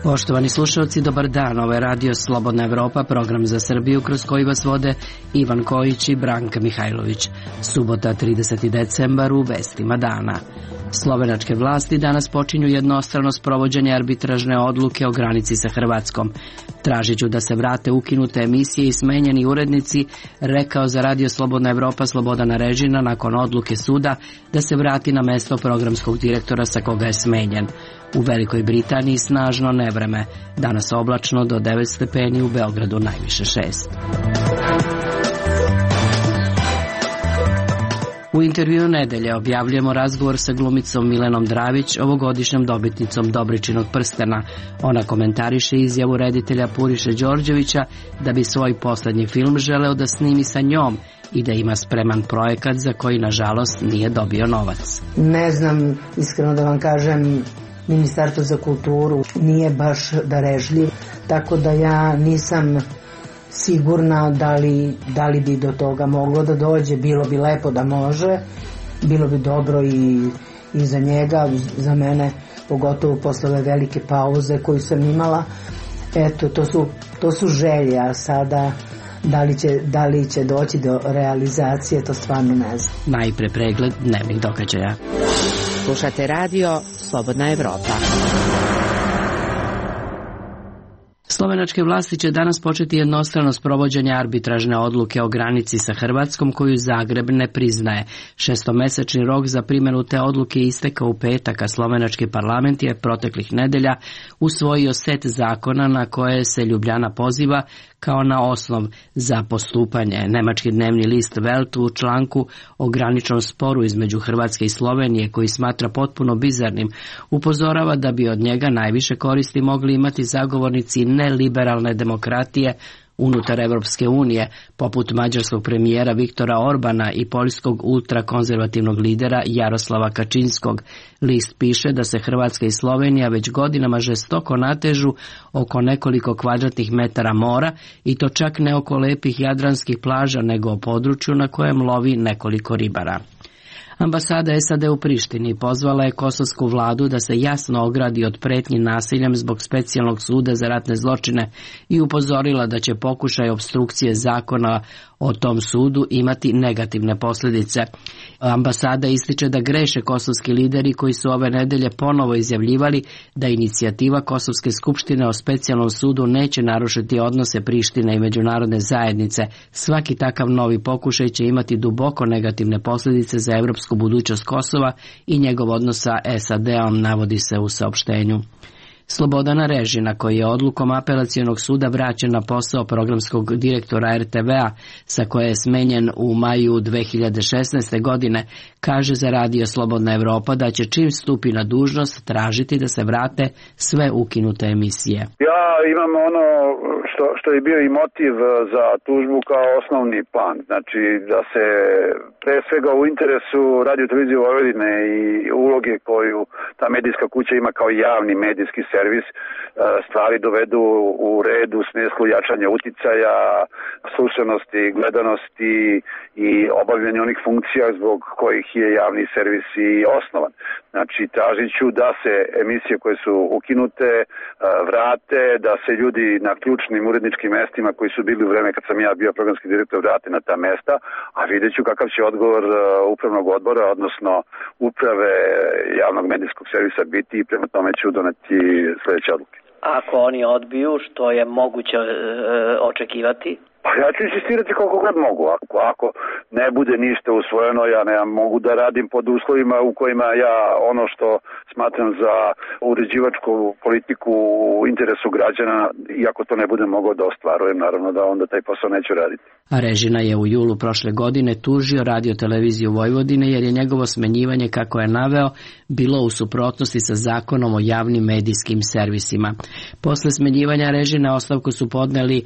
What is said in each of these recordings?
Poštovani slušalci, dobar dan. Ovo je Radio Slobodna Evropa, program za Srbiju kroz koji vas vode Ivan Kojić i Branka Mihajlović. Subota, 30. decembar, u vestima dana. Slovenačke vlasti danas počinju jednostrano sprovođenje arbitražne odluke o granici sa Hrvatskom. Tražiću da se vrate ukinute emisije i smenjeni urednici, rekao za Radio Slobodna Evropa Slobodan Arežina nakon odluke suda da se vrati na mesto programskog direktora sa koga je smenjen. U Velikoj Britaniji snažno nevreme, danas oblačno do 9 stepeni, u Beogradu najviše 6. U intervjuu nedelje objavljujemo razgovor sa glumicom Milenom Dravić, ovogodišnjom dobitnicom Dobričinog prstena. Ona komentariše izjavu reditelja Puriše Đorđevića da bi svoj poslednji film želeo da snimi sa njom i da ima spreman projekat za koji, nažalost, nije dobio novac. Ne znam, iskreno da vam kažem, Ministarstvo za kulturu nije baš darežljiv, tako da ja nisam sigurna da li bi do toga moglo da dođe. Bilo bi lepo da može, bilo bi dobro i za njega, za mene, pogotovo posle ove velike pauze koju sam imala. Eto, to su želje, a sada da li će doći do realizacije, to stvarno ne znam. Najpre pregled dnevnih događaja. Slušate Radio Slobodna Evropa. Slovenačke vlasti će danas početi jednostrano sprovođenje arbitražne odluke o granici sa Hrvatskom koju Zagreb ne priznaje. 6-mesečni rok za primjenu te odluke istekao u petak, a slovenački parlament je proteklih nedelja usvojio set zakona na koje se Ljubljana poziva kao na osnov za postupanje. Nemački dnevni list Welt u članku o graničnom sporu između Hrvatske i Slovenije, koji smatra potpuno bizarnim, upozorava da bi od njega najviše koristi mogli imati zagovornici neliberalne demokratije unutar Evropske unije, poput mađarskog premijera Viktora Orbana i poljskog ultrakonzervativnog lidera Jaroslava Kačinskog. List piše da se Hrvatska i Slovenija već godinama žestoko natežu oko nekoliko kvadratnih metara mora, i to čak ne oko lepih jadranskih plaža, nego o području na kojem lovi nekoliko ribara. Ambasada SAD u Prištini pozvala je kosovsku vladu da se jasno ogradi od pretnji nasiljem zbog specijalnog suda za ratne zločine i upozorila da će pokušaj opstrukcije zakona o tom sudu imati negativne posljedice. Ambasada ističe da greše kosovski lideri koji su ove nedelje ponovo izjavljivali da inicijativa Kosovske skupštine o specijalnom sudu neće narušiti odnose Prištine i međunarodne zajednice. Svaki takav novi pokušaj će imati duboko negativne posljedice za evropsku budućnost Kosova i njegov odnos sa SAD-om, navodi se u saopštenju. Slobodan Arežina, koji je odlukom apelacionog suda vraćen na posao programskog direktora RTV-a, sa koje je smenjen u maju 2016. godine, kaže za Radio Slobodna Evropa da će čim stupi na dužnost tražiti da se vrate sve ukinute emisije. Ja imam ono što je bio i motiv za tužbu kao osnovni plan, znači da se pre svega u interesu Radio televizije Vojvodine i uloge koju ta medijska kuća ima kao javni medijski servis, stvari dovedu u red u smislu jačanja uticaja, slušanosti, gledanosti i obavljanja onih funkcija zbog kojih je javni servis i osnovan. Znači, tražit ću da se emisije koje su ukinute vrate, da se ljudi na ključnim uredničkim mestima koji su bili u vreme kad sam ja bio programski direktor vrate na ta mesta, a vidjet ću kakav će odgovor upravnog odbora, odnosno uprave javnog medijskog servisa biti, i prema tome ću doneti sljedeće odluke. Ako oni odbiju, što je moguće očekivati? Pa ja ću insistirati koliko god mogu. Ako ne bude ništa usvojeno, ja ne mogu da radim pod uslovima u kojima ja ono što smatram za uređivačku politiku u interesu građana, iako to ne bude mogao da ostvarujem, naravno da onda taj posao neću raditi. Arežina je u julu prošle godine tužio Radio televiziju Vojvodine jer je njegovo smenjivanje, kako je naveo, bilo u suprotnosti sa zakonom o javnim medijskim servisima. Posle smenjivanja Arežina ostavku su podneli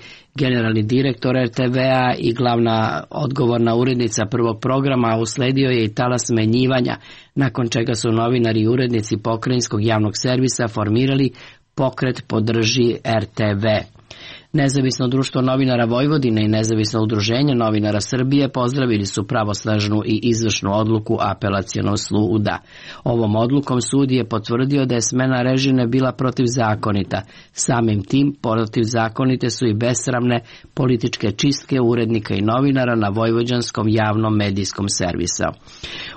generalni direktor RTV-a i glavna odgovorna urednica prvog programa, a usledio je i talas smenjivanja, nakon čega su novinari i urednici pokrajinskog javnog servisa formirali Pokret podrži RTV. Nezavisno društvo novinara Vojvodine i Nezavisno udruženje novinara Srbije pozdravili su pravosnažnu i izvršnu odluku Apelacionog suda. Ovom odlukom sud je potvrdio da je smena Režine bila protivzakonita. Samim tim protivzakonite su i besramne političke čistke urednika i novinara na vojvođanskom javnom medijskom servisu.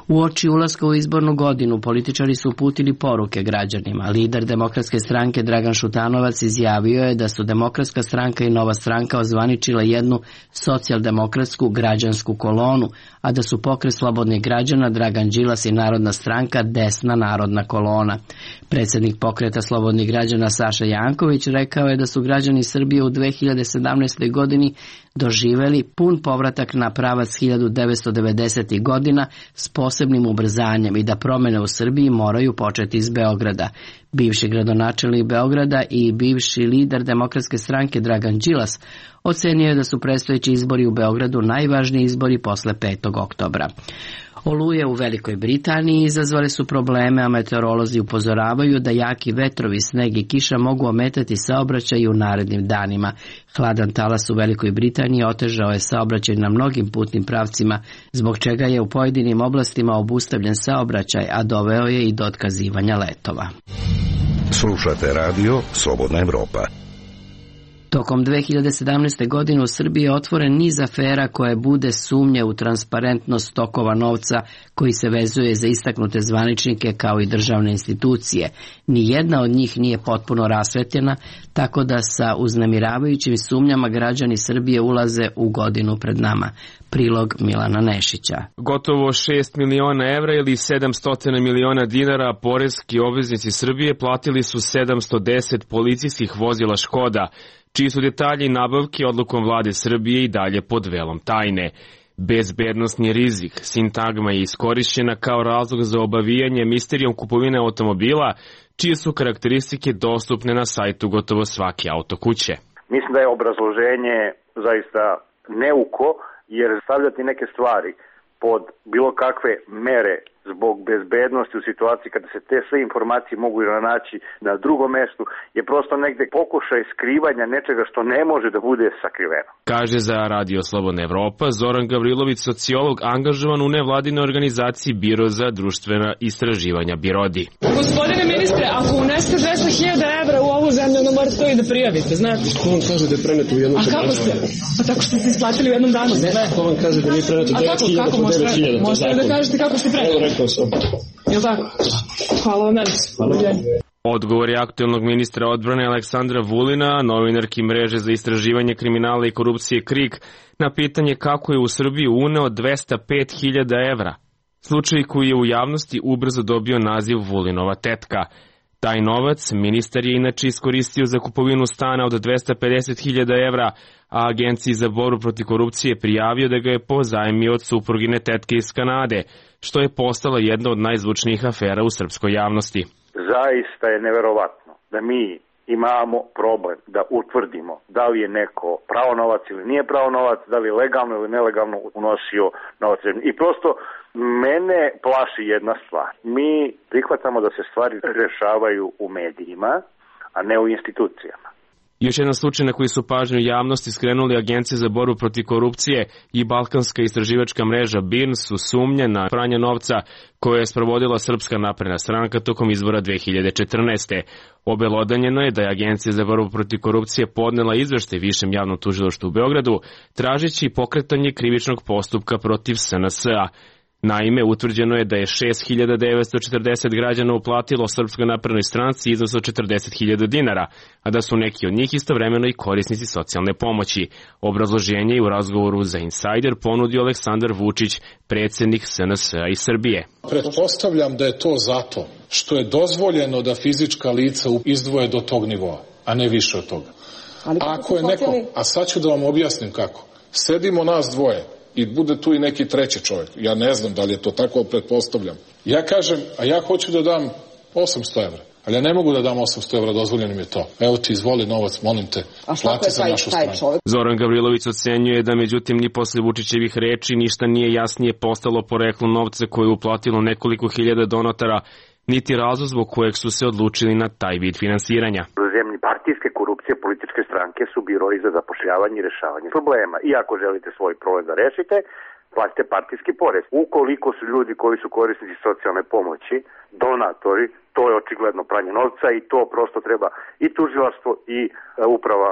Uoči ulaska u izbornu godinu političari su uputili poruke građanima. Lider Demokratske stranke Dragan Šutanovac izjavio je da su Demokratska stranka i Nova stranka ozvaničila jednu socijaldemokratsku građansku kolonu, a da su Pokret slobodnih građana Dragan Đilas i Narodna stranka desna narodna kolona. Predsjednik Pokreta slobodnih građana Saša Janković rekao je da su građani Srbije u 2017. godini doživeli pun povratak na pravac 1990. godina s posebnim ubrzanjem i da promjene u Srbiji moraju početi iz Beograda. Bivši gradonačelnik Beograda i bivši lider Demokratske stranke Dragan Đilas ocenio je da su predstojeći izbori u Beogradu najvažniji izbori posle 5. oktobra. Oluje u Velikoj Britaniji izazvale su probleme, a meteorolozi upozoravaju da jaki vetrovi, sneg i kiša mogu ometati saobraćaj u narednim danima. Hladan talas u Velikoj Britaniji otežao je saobraćaj na mnogim putnim pravcima, zbog čega je u pojedinim oblastima obustavljen saobraćaj, a doveo je i do otkazivanja letova. Slušate radio Slobodna Evropa. Tokom 2017. godine u Srbiji je otvoren niz afera koje bude sumnje u transparentnost tokova novca koji se vezuje za istaknute zvaničnike kao i državne institucije. Nijedna od njih nije potpuno rasvetljena, tako da sa uznemiravajućim sumnjama građani Srbije ulaze u godinu pred nama. Prilog Milana Nešića. Gotovo 6 miliona evra ili 700 miliona dinara poreski obveznici Srbije platili su 710 policijskih vozila Škoda, čiji su detalji nabavke odlukom vlade Srbije i dalje pod velom tajne. Bezbednosni rizik, sintagma je iskorišćena kao razlog za obavijanje misterijom kupovine automobila, čije su karakteristike dostupne na sajtu gotovo svake autokuće. Mislim da je obrazloženje zaista neuko, jer stavljati neke stvari pod bilo kakve mere zbog bezbednosti u situaciji kada se te sve informacije mogu naći na drugom mestu je prosto negde pokušaj skrivanja nečega što ne može da bude sakriveno. Kaže za Radio Slobodna Evropa Zoran Gavrilović, sociolog angažovan u nevladinoj organizaciji Biro za društvena istraživanja Birodi. Gospodine ministre, ako uneste 200.000 evra u ovu zemlju, onda morate to i da prijavite, znate? Ko vam kaže da je preneto u jednom trenutku? A kako ste? Pa tako što ste isplatili u jednom danu sve. Ko vam kaže da nije preneto 9.000 po 9.000? Možete da kažete kako ste preneli? Evo rekao sam. Jel' tako? Hvala vam, Odgovor je aktuelnog ministra odbrane Aleksandra Vulina, novinarki mreže za istraživanje kriminala i korupcije KRIK, na pitanje kako je u Srbiji uneo 205.000 evra. Slučaj koji je u javnosti ubrzo dobio naziv Vulinova tetka. Taj novac ministar je inače iskoristio za kupovinu stana od 250.000 evra, a Agenciji za borbu protiv korupcije prijavio da ga je pozajmio od suprugine tetke iz Kanade, što je postala jedna od najzvučnijih afera u srpskoj javnosti. Zaista je neverovatno da mi imamo problem da utvrdimo da li je neko pravo novac ili nije pravo novac, da li je legalno ili nelegalno unosio novac. I prosto mene plaši jedna stvar. Mi prihvatamo da se stvari rešavaju u medijima, a ne u institucijama. Još jedan slučaj na koji su pažnju javnosti skrenuli Agencije za borbu protiv korupcije i Balkanska istraživačka mreža BIRN su sumnje na pranje novca koje je sprovodila Srpska napredna stranka tokom izbora 2014. Obelodanjeno je da je Agencija za borbu protiv korupcije podnela izveštaj Višem javnom tužilaštvu u Beogradu, tražeći pokretanje krivičnog postupka protiv SNS-a. Naime, utvrđeno je da je 6.940 građana uplatilo Srpskoj naprednoj stranci iznos od 40.000 dinara, a da su neki od njih istovremeno i korisnici socijalne pomoći. Obrazloženje je u razgovoru za Insider ponudio Aleksandar Vučić, predsjednik SNS-a iz Srbije. Pretpostavljam da je to zato što je dozvoljeno da fizička lica izdvoje do tog nivoa, a ne više od toga. Ako je neko, a sad ću da vam objasnim kako. Sedimo nas dvoje i bude tu i neki treći čovjek. Ja ne znam da li je to tako, pretpostavljam. Ja kažem, a ja hoću da dam 800 evra. Ali ja ne mogu da dam 800 evra, dozvoljeno mi je to. Evo ti izvoli novac, molim te, plati za našu stranu. Zoran Gavrilović ocenjuje da međutim ni posle Vučićevih reči ništa nije jasnije postalo poreklo novca koje je uplatilo nekoliko hiljada donatara, niti razlog zbog kojeg su se odlučili na taj vid finansiranja. U zemlji, pa partijske korupcije, političke stranke su biroji za zapošljavanje i rešavanje problema. I ako želite svoj problem da rešite, platite partijski porez. Ukoliko su ljudi koji su korisnici socijalne pomoći, donatori, to je očigledno pranje novca i to prosto treba i tužilaštvo i uprava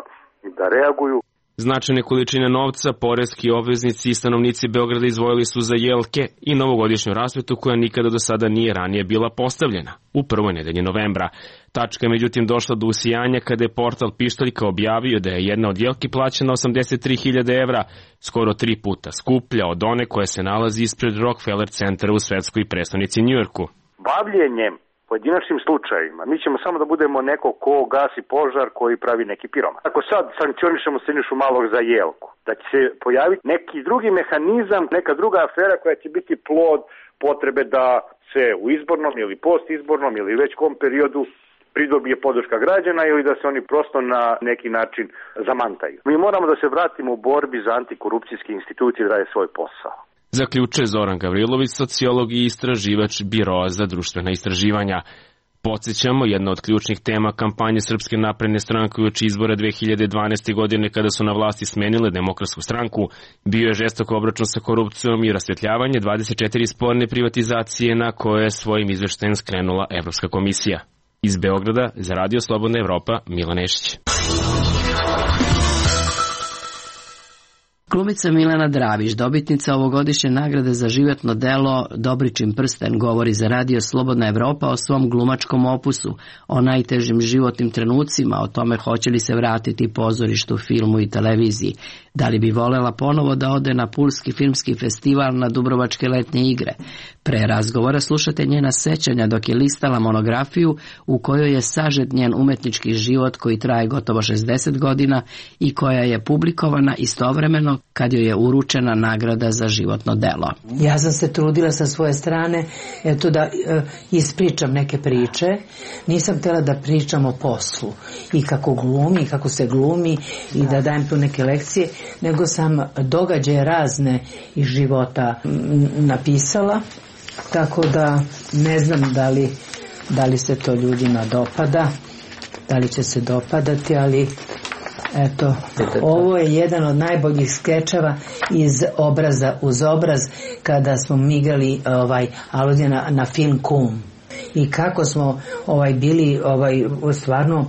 da reaguju. Značajne količine novca, poreski obveznici i stanovnici Beograda izdvojili su za jelke i novogodišnju rasvetu koja nikada do sada nije ranije bila postavljena, u prvoj nedelji novembra. Tačka je međutim došla do usijanja kada je portal Pištaljka objavio da je jedna od jelki plaćena 83.000 evra, skoro 3 puta skuplja od one koja se nalazi ispred Rockefeller centra u svetskoj prestonici Njujorku. Bavljenjem pojedinačnim slučajima, mi ćemo samo da budemo neko ko gasi požar koji pravi neki piroman. Ako sad sankcionišemo Sinišu Malog za jelku, da će se pojaviti neki drugi mehanizam, neka druga afera koja će biti plod potrebe da se u izbornom ili postizbornom ili već kom periodu pridobije podrška građana ili da se oni prosto na neki način zamantaju. Mi moramo da se vratimo u borbi za antikorupcijske institucije da rade svoj posao. Zaključuje Zoran Gavrilović, sociolog i istraživač Biroa za društvena istraživanja. Podsjećamo, jedna od ključnih tema kampanje Srpske napredne stranke uoči izbora 2012. godine kada su na vlasti smenile Demokratsku stranku, bio je žestok obračun sa korupcijom i rasvetljavanje 24 sporne privatizacije na koje je svojim izveštajem skrenula Evropska komisija. Iz Beograda za Radio Slobodna Evropa, Milan Nešić. Glumica Milena Dravić, dobitnica ovogodišnje nagrade za životno delo Dobričin prsten, govori za Radio Slobodna Evropa o svom glumačkom opusu, o najtežim životnim trenucima, o tome hoće li se vratiti pozorištu, filmu i televiziji. Da li bi volela ponovo da ode na Pulski filmski festival, na Dubrovačke letnje igre? Pre razgovora slušate njena sećanja dok je listala monografiju u kojoj je sažet njen umetnički život koji traje gotovo 60 godina i koja je publikovana istovremeno kad joj je uručena nagrada za životno delo. Ja sam se trudila sa svoje strane da ispričam neke priče. Nisam htjela da pričam o poslu i kako glumi, i kako se glumi i da dajem tu neke lekcije, nego sam događaje razne iz života napisala, tako da ne znam da li se to ljudima dopada, da li će se dopadati, ali eto, ovo je jedan od najboljih skečeva iz Obraza uz obraz, kada smo mi igrali aluzije na film Kum. I kako smo bili, stvarno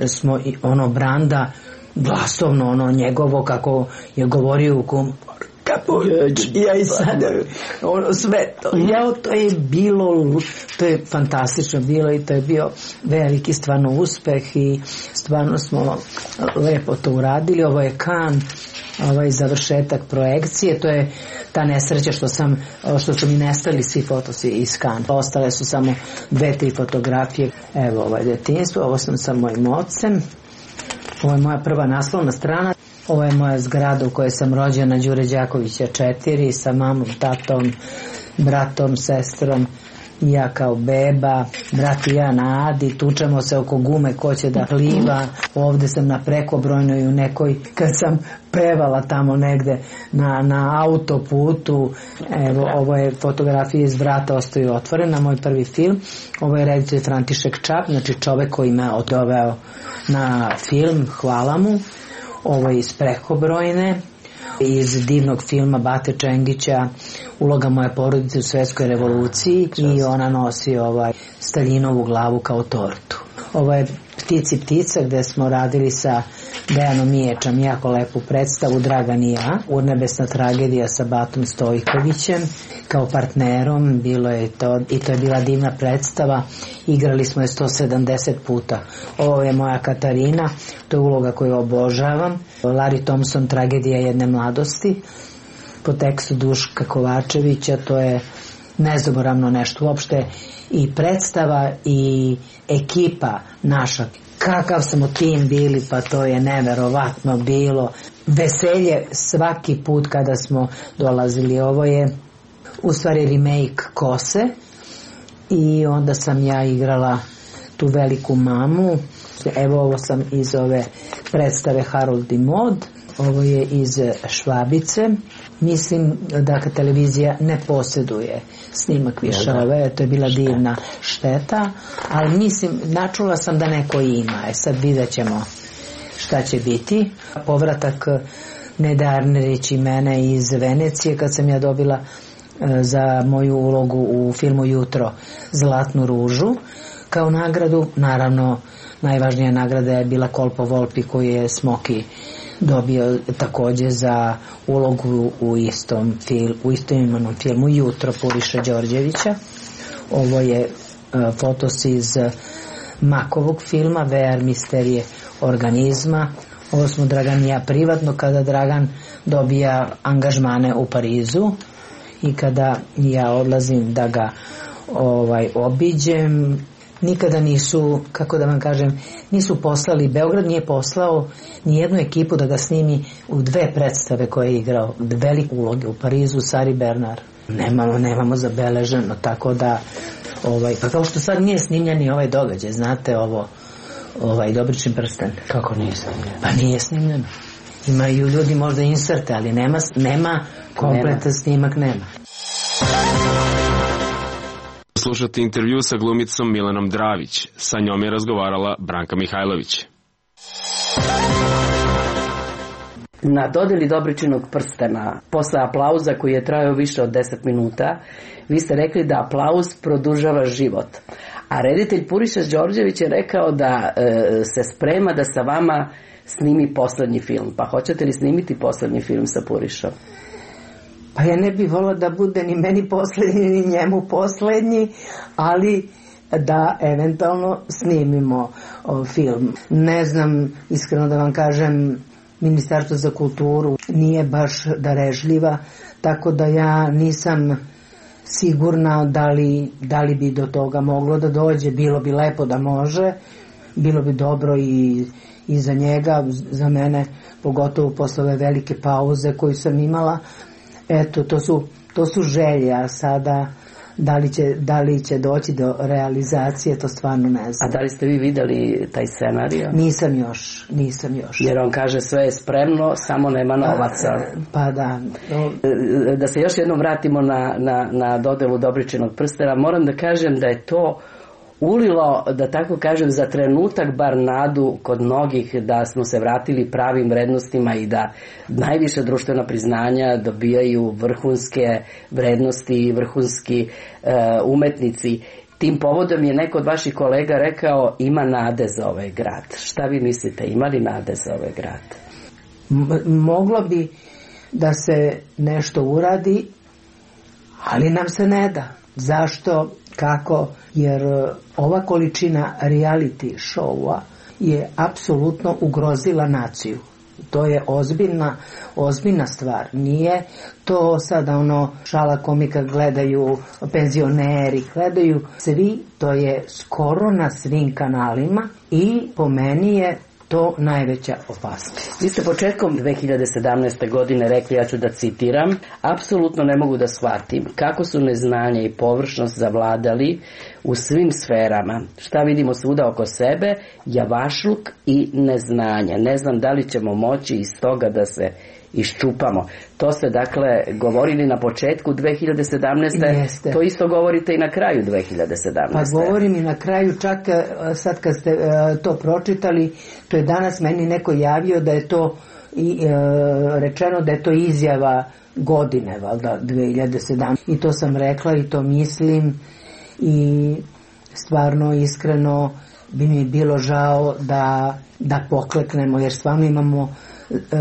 smo Branda glasovno, njegovo kako je govorio u Kum, ja i sad sve to, to je bilo, to je fantastično bilo i to je bio veliki stvarno uspeh i stvarno smo lepo to uradili. Ovo je Kan, završetak projekcije, to je ta nesreća što su mi nestali svi fotosi iz Kan. Ostale su samo 2-3 fotografije. Evo detinjstvo, ovo sam sa mojim ocem, ovo je moja prva naslovna strana. Ovo je moja zgrada u kojoj sam rođena, Đure Đakovića 4, sa mamom, tatom, bratom, sestrom, ja kao beba, brat i ja na Adi, tučemo se oko gume ko će da pliva. Ovde sam na Prekobrojnoj u nekoj, kad sam pevala tamo negde na autoputu. Evo, ovo je fotografija iz Vrata ostaju otvorena, moj prvi film. Ovo je reditelj František Čap, znači čovek koji me odoveo na film, hvala mu. Ovo je iz Prekobrojne, iz divnog filma Bate Čengića, Uloga moje porodice u svetskoj revoluciji, i ona nosi Staljinovu glavu kao tortu. Ovo je Ptici ptica, gde smo radili sa Dejanom Miječem jako lepu predstavu, Dragan i ja, Urnebesna tragedija sa Batom Stojkovićem kao partnerom, bilo je to, i to je bila divna predstava, igrali smo je 170 puta. Ovo je moja Katarina, to je uloga koju obožavam, Larry Thompson, Tragedija jedne mladosti, po tekstu Duška Kovačevića, to je nezaboravno nešto uopšte, i predstava i ekipa naša, kakav smo tim bili, pa to je neverovatno bilo, veselje svaki put kada smo dolazili. Ovo je u stvari remake Kose i onda sam ja igrala tu veliku mamu. Evo, ovo sam iz ove predstave Harold i Mod. Ovo je iz Švabice. Mislim da televizija ne posjeduje snimak više ove, to je bila divna šteta, ali mislim, načula sam da neko ima. Sad vidjet ćemo šta će biti. Povratak Nede Arnerić i mene iz Venecije, kad sam ja dobila za moju ulogu u filmu Jutro Zlatnu ružu kao nagradu. Naravno, najvažnija nagrada je bila Kolpo Volpi, koju je Smoki dobio takođe za ulogu u istoimenom filmu Jutro Puriše Đorđevića. Ovo je fotos iz Makovog filma VR misterije organizma. Ovo smo Dragan i ja privatno, kada Dragan dobija angažmane u Parizu i kada ja odlazim da ga obiđem. Nikada nisu, kako da vam kažem, nisu poslali, Beograd nije poslao ni jednu ekipu da ga snimi u 2 predstave koje je igrao, velike uloge u Parizu, Sari Bernard. Nemamo zabeleženo, tako da pa kao što sad nije snimljen ni ovaj događaj, znate ovo, Dobričin prsten. Kako nije snimljen? Pa nije snimljeno. Imaju ljudi možda inserte, ali nema kompletan snimak, nema. Slušate intervju sa glumicom Milanom Dravić. Sa njom je razgovarala Branka Mihajlović. Na dodeli Dobričinog prstena, posle aplauza koji je trajao više od 10 minuta, vi ste rekli da aplauz produžava život. A reditelj Puriša Đorđević je rekao da se sprema da sa vama snimi poslednji film. Pa hoćete li snimiti poslednji film sa Purišom? Pa ja ne bih volila da bude ni meni poslednji, ni njemu poslednji, ali da eventualno snimimo film. Ne znam, iskreno da vam kažem, Ministarstvo za kulturu nije baš darežljiva, tako da ja nisam sigurna da li bi do toga moglo da dođe. Bilo bi lepo da može, bilo bi dobro i za njega, za mene, pogotovo posle ove velike pauze koju sam imala. Eto, to su želje, a sada da li će doći do realizacije, to stvarno ne znam. A da li ste vi videli taj scenario? Nisam još. Jer on kaže sve je spremno, samo nema novaca. Pa da. Da se još jednom vratimo na dodelu Dobričinog prstena, moram da kažem da je to ulilo, da tako kažem, za trenutak bar nadu kod mnogih da smo se vratili pravim vrednostima i da najviše društvena priznanja dobijaju vrhunske vrednosti i vrhunski umetnici. Tim povodom je neko od vaših kolega rekao ima nade za ovaj grad. Šta vi mislite, ima li nade za ovaj grad? Moglo bi da se nešto uradi, ali nam se ne da. Zašto? Kako? Jer ova količina reality showa je apsolutno ugrozila naciju. To je ozbiljna stvar. Nije to sada šala komika, gledaju penzioneri, gledaju svi, to je skoro na svim kanalima i po meni je to najveća opasnost. Vi ste početkom 2017. godine rekli, ja ću da citiram, apsolutno ne mogu da shvatim kako su neznanje i površnost zavladali u svim sferama. Šta vidimo svuda oko sebe, javašluk i neznanje. Ne znam da li ćemo moći iz toga da se iščupamo. To ste dakle govorili na početku 2017. Jeste. To isto govorite i na kraju 2017. Pa govorim i na kraju, čak sad kad ste to pročitali, to je danas meni neko javio da je to rečeno da je to izjava godine, valjda 2017. I to sam rekla i to mislim i stvarno iskreno bi mi bilo žao da pokleknemo, jer stvarno imamo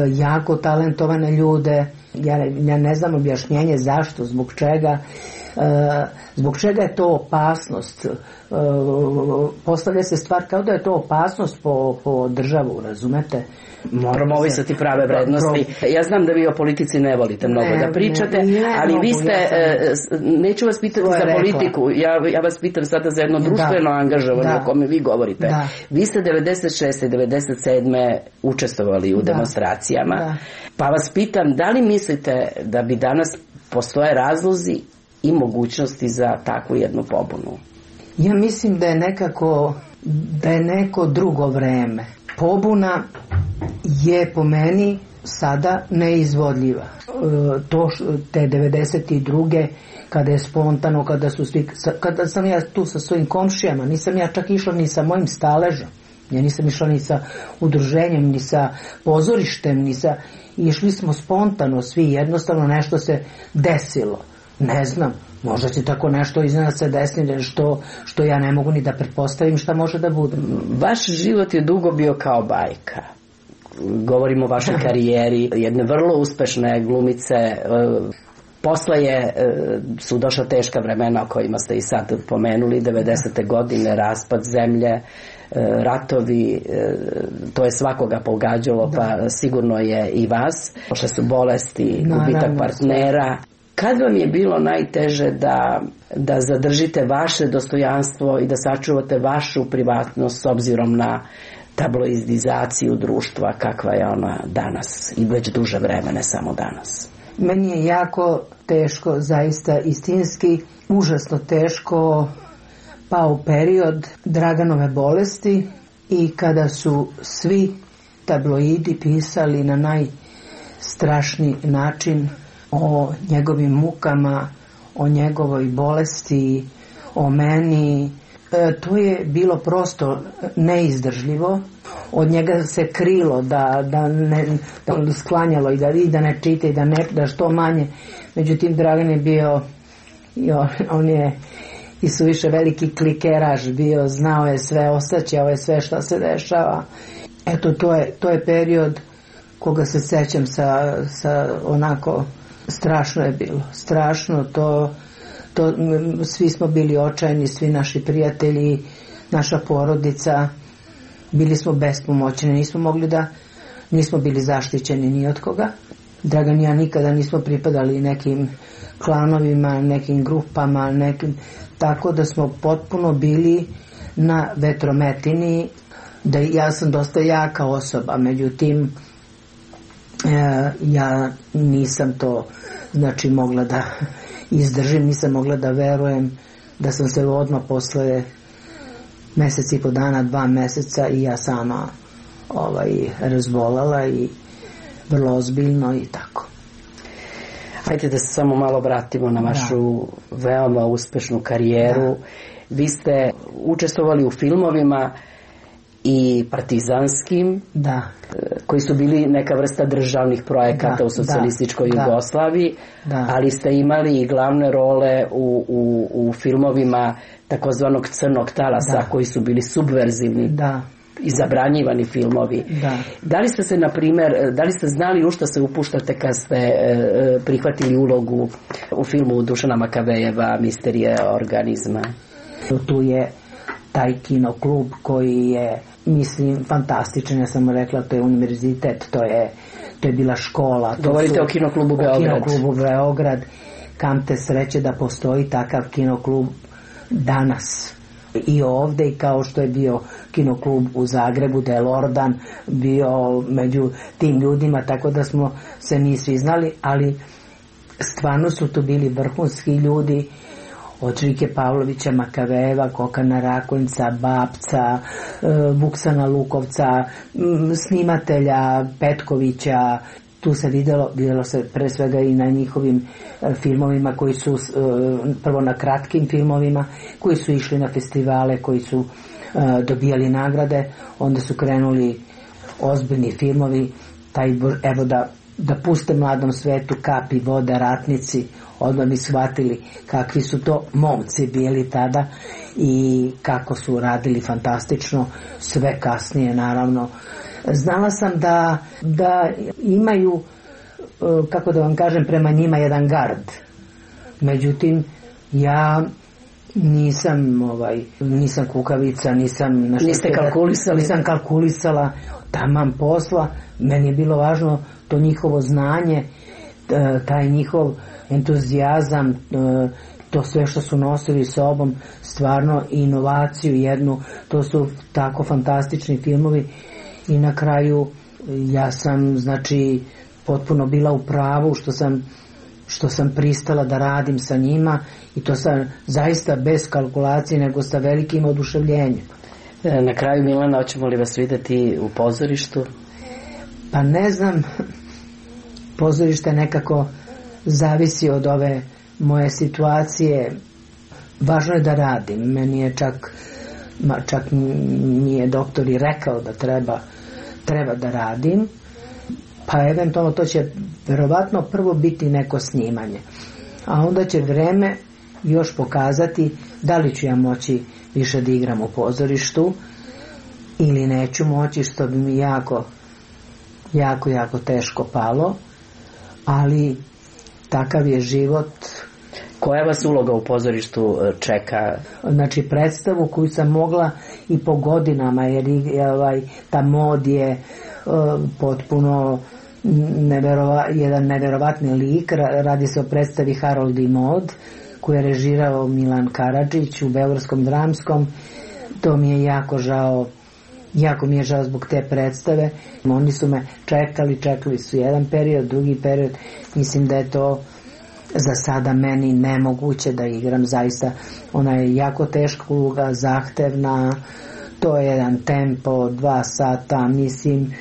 jako talentovane ljude. Ja ne znam objašnjenje zašto, zbog čega je to opasnost. Postavlja se stvar kao da je to opasnost po državu, razumete? Moramo ovisati prave vrednosti. Ja znam da vi o politici ne volite mnogo da pričate, ali vi ste, neću vas pitati za politiku, ja vas pitam sada za jedno društveno angažovanje o kome vi govorite. Vi ste 96. i 97. učestvovali u demonstracijama, pa vas pitam, da li mislite da bi danas postoje razlozi i mogućnosti za takvu jednu pobunu? Ja mislim da je neko drugo vreme. Pobuna je po meni sada neizvodljiva. Te 92. kada je spontano, kada sam ja tu sa svojim komšijama, nisam ja čak išla ni sa mojim staležom, ja nisam išla ni sa udruženjem, ni sa pozorištem, išli smo spontano svi, jednostavno nešto se desilo, ne znam, možda će tako nešto iznad se desiti što ja ne mogu ni da pretpostavim šta može da bude. Vaš život je dugo bio kao bajka. Govorimo o vašoj karijeri, jedne vrlo uspešne glumice. Posle su došla teška vremena o kojima ste i sad pomenuli, 90. godine, raspad zemlje, ratovi, to je svakoga pogađalo, pa sigurno je i vas. Došle su bolesti, gubitak partnera. Kad vam je bilo najteže da zadržite vaše dostojanstvo i da sačuvate vašu privatnost s obzirom na tabloidizaciju društva kakva je ona danas i već duže vreme, ne samo danas? Meni je jako teško, zaista istinski, užasno teško pao period Draganove bolesti i kada su svi tabloidi pisali na najstrašniji način o njegovim mukama, o njegovoj bolesti, o meni. To je bilo prosto neizdržljivo. Od njega se krilo da sklanjalo i da ne čita i da što manje. Međutim, Dragan je bio, on je i suviše veliki klikeraš bio, znao je sve, ostaćao je sve što se dešava. Eto, to je period koga se sećam sa onako, strašno je bilo. Strašno, svi smo bili očajni, svi naši prijatelji, naša porodica, bili smo bespomoćni, nismo bili zaštićeni ni od koga. Dragan i ja nikada nismo pripadali nekim klanovima, nekim grupama, tako da smo potpuno bili na vetrometini. Ja sam dosta jaka osoba, međutim ja nisam to mogla da izdržim, nisam mogla da verujem da sam se odmah posle mesec i po dana, 2 meseca i ja sama razbolala i vrlo ozbiljno i tako. Hajde da se samo malo vratimo na vašu veoma uspešnu karijeru. Vi ste učestvovali u filmovima i partizanskim, koji su bili neka vrsta državnih projekata u socijalističkoj Jugoslaviji, ali ste imali i glavne role u filmovima takozvanog crnog talasa, koji su bili subverzivni i zabranjivani filmovi. Da li ste se, na primjer, da li ste znali u što se upuštate kad ste prihvatili ulogu u filmu Dušana Makavejeva Misterije organizma? Tu je taj kinoklub koji je, mislim, fantastičan. Ja sam rekla, to je univerzitet, to je bila škola. Govorite o kinoklubu Beograd. O kinoklubu Beograd. Kamte sreće da postoji takav kinoklub danas i ovde, i kao što je bio kinoklub u Zagrebu, da je Lordan bio među tim ljudima, tako da smo se mi svi znali, ali stvarno su tu bili vrhunski ljudi, od Žike Pavlovića Makavejeva, Kokana Rakonjca, Babca, Vuksana Lukovca, snimatelja Petkovića. Tu se videlo se pre svega i na njihovim filmovima koji su, prvo na kratkim filmovima, koji su išli na festivale, koji su dobijali nagrade, onda su krenuli ozbiljni filmovi, evo da puste mladom svetu, Kapi, Voda, Ratnici, odmah bi shvatili kakvi su to momci bili tada i kako su radili fantastično, sve kasnije naravno. Znala sam da imaju, kako da vam kažem, prema njima jedan gard. Međutim, ja nisam kukavica, nisam kalkulisala taman posla. Meni je bilo važno to njihovo znanje, taj njihov entuzijazam, to sve što su nosili sobom, stvarno inovaciju jednu, to su tako fantastični filmovi. I na kraju ja sam, potpuno bila u pravu što sam pristala da radim sa njima, i to sam zaista bez kalkulacije, nego sa velikim oduševljenjem. Na kraju, Milana, hoćemo li vas vidjeti u pozorištu? Pa ne znam, pozorište nekako zavisi od ove moje situacije. Važno je da radim. Meni je čak mi je doktor i rekao da treba da radim, pa eventualno to će verovatno prvo biti neko snimanje, a onda će vreme još pokazati da li ću ja moći više da igram u pozorištu ili neću moći, što bi mi jako teško palo, ali takav je život. Koja vas uloga u pozorištu čeka? Znači predstavu koju sam mogla i po godinama, jer ta mod je potpuno jedan neverovatni lik. Radi se o predstavi Harold i Maud koju je režirao Milan Karadžić u Beogradskom dramskom. To mi je jako žao. Jako mi je žao zbog te predstave. Oni su me čekali su jedan period, drugi period. Mislim da je to za sada meni nemoguće da igram. Zaista ona je jako teška uloga, zahtevna, to je jedan tempo 2 sata, mislim,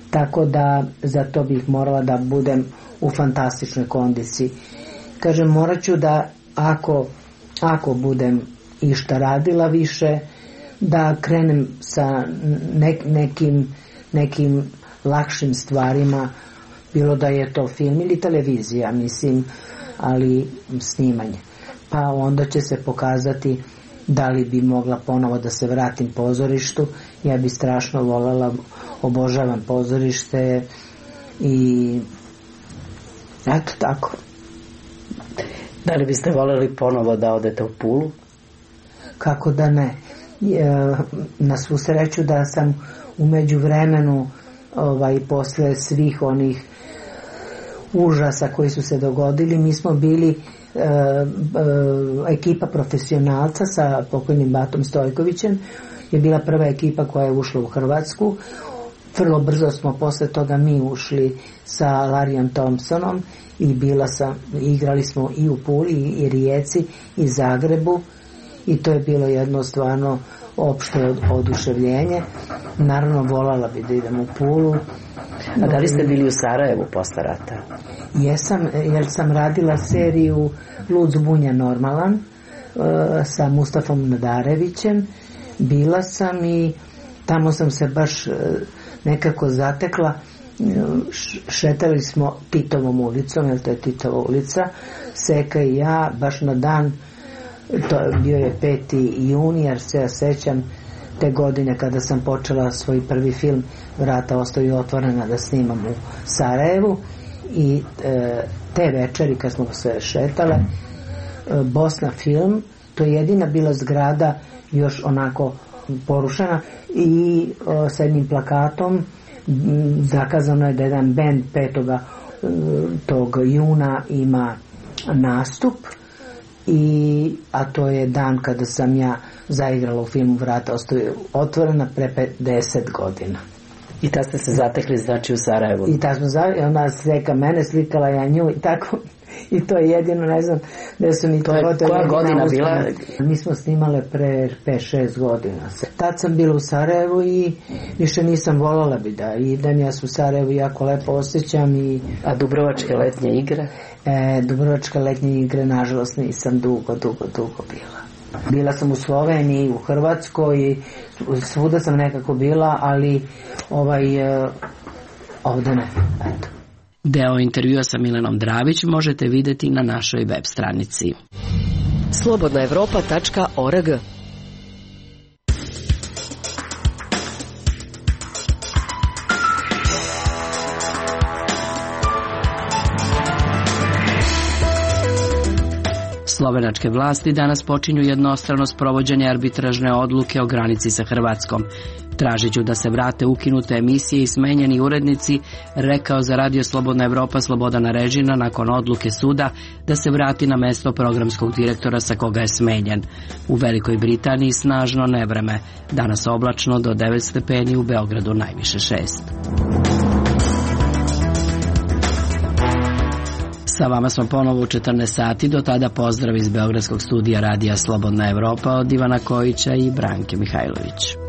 tako da za to bih morala da budem u fantastičnoj kondiciji. Kažem, morat ću da ako budem išta radila više, da krenem sa nekim lakšim stvarima, bilo da je to film ili televizija, mislim, ali snimanje. Pa onda će se pokazati da li bi mogla ponovo da se vratim pozorištu. Ja bi strašno voljela, obožavam pozorište i eto tako. Da li biste voljeli ponovo da odete u Pulu? Kako da ne. Na svu sreću da sam u međuvremenu posle svih onih užasa koji su se dogodili, mi smo bili ekipa profesionalca sa pokojnim Batom Stojkovićem, je bila prva ekipa koja je ušla u Hrvatsku. Vrlo brzo smo posle toga mi ušli sa Larijom Thompsonom i igrali smo i u Puli i Rijeci i Zagrebu i to je bilo jedno stvarno opšte oduševljenje. Naravno voljela bi da idem u Pulu. A da li ste bili u Sarajevu posle rata? Jesam, jer sam radila seriju Lud zbunja normalan sa Mustafom Nadarevićem. Bila sam i tamo sam se baš nekako zatekla. Šetali smo Titovom ulicom, jer to je Titova ulica, Seka i ja, baš na dan, to bio je 5. juni, jer se ja sećam te godine kada sam počela svoj prvi film Vrata ostaju otvorena da snimam u Sarajevu i te večeri kad smo se šetale, Bosna film, to je jedina bila zgrada još onako porušena i sa jednim plakatom zakazano je da jedan bend 5. tog juna ima nastup, a to je dan kada sam ja zaigrala u filmu Vrata ostaju otvorena pre 50 godina. I tad ste se zatekli, znači, u Sarajevu? I tad smo zatekli, ona slika mene, slikala ja nju i tako. I to je jedino, ne znam, da su mi... To je koja godina bila? Mi smo snimale pre 5-6 godina. Tad sam bila u Sarajevu i više nisam voljela bi da idem. Ja sam u Sarajevu jako lepo osjećam i... A Dubrovačke letnje igre? Dubrovačke letnje igre, nažalost, nisam dugo bila. Bila sam u Sloveniji, u Hrvatskoj i svuda sam nekako bila, ali ovde ne. Eto. Deo intervjua sa Milanom Dravić možete videti na našoj web stranici. slobodnaevropa.org. Slovenačke vlasti danas počinju jednostrano sprovođenje arbitražne odluke o granici sa Hrvatskom. Tražiću da se vrate ukinute emisije i smenjeni urednici, rekao za Radio Slobodna Evropa Slobodan Arežina nakon odluke suda da se vrati na mesto programskog direktora sa koga je smenjen. U Velikoj Britaniji snažno nevreme, danas oblačno do 9 stepeni, u Beogradu najviše 6. Sa vama smo ponovo u 14 sati, do tada pozdrav iz Beogradskog studija Radija Slobodna Evropa od Ivana Kojića i Branke Mihajlović.